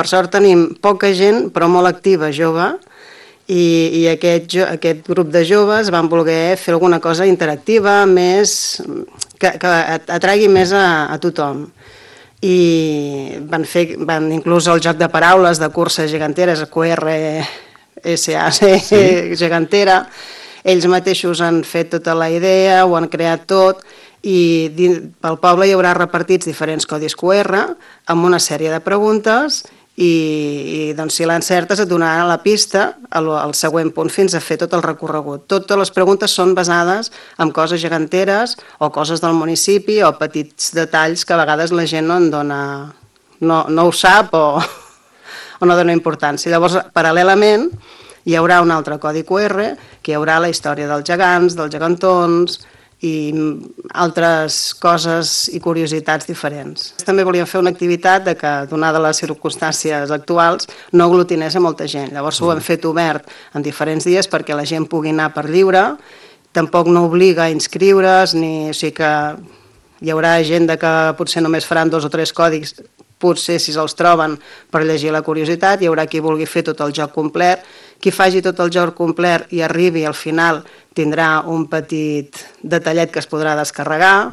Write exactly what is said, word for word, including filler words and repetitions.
per sort tenim poca gent, però molt activa, jove, i, i aquest, aquest grup de joves van voler fer alguna cosa interactiva, més, que, que atragui més a, a tothom. I van fer van inclús el joc de paraules de curses geganteres, Q R S A C, sí. Gegantera. Ells mateixos han fet tota la idea, ho han creat tot, i pel poble hi haurà repartits diferents codis Q R amb una sèrie de preguntes. I, i doncs, si l'encertes et donaran la pista al, al següent punt fins a fer tot el recorregut. Totes les preguntes són basades en coses geganteres o coses del municipi o petits detalls que a vegades la gent no en dona, no, no ho sap o, o no dona importància. Llavors, paral·lelament, hi haurà un altre codi Q R que hi haurà la història dels gegants, dels gegantons, i altres coses i curiositats diferents. També volíem fer una activitat de que, donada les circumstàncies actuals, no aglutinés a molta gent. Llavors ho hem fet obert en diferents dies perquè la gent pugui anar per lliure, tampoc no obliga a inscriure's, ni, o sigui que hi haurà gent que potser només faran dos o tres còdics, potser si se'ls troben per llegir la curiositat, hi haurà qui vulgui fer tot el joc complet, qui faci tot el joc complet i arribi al final tindrà un petit detallet que es podrà descarregar,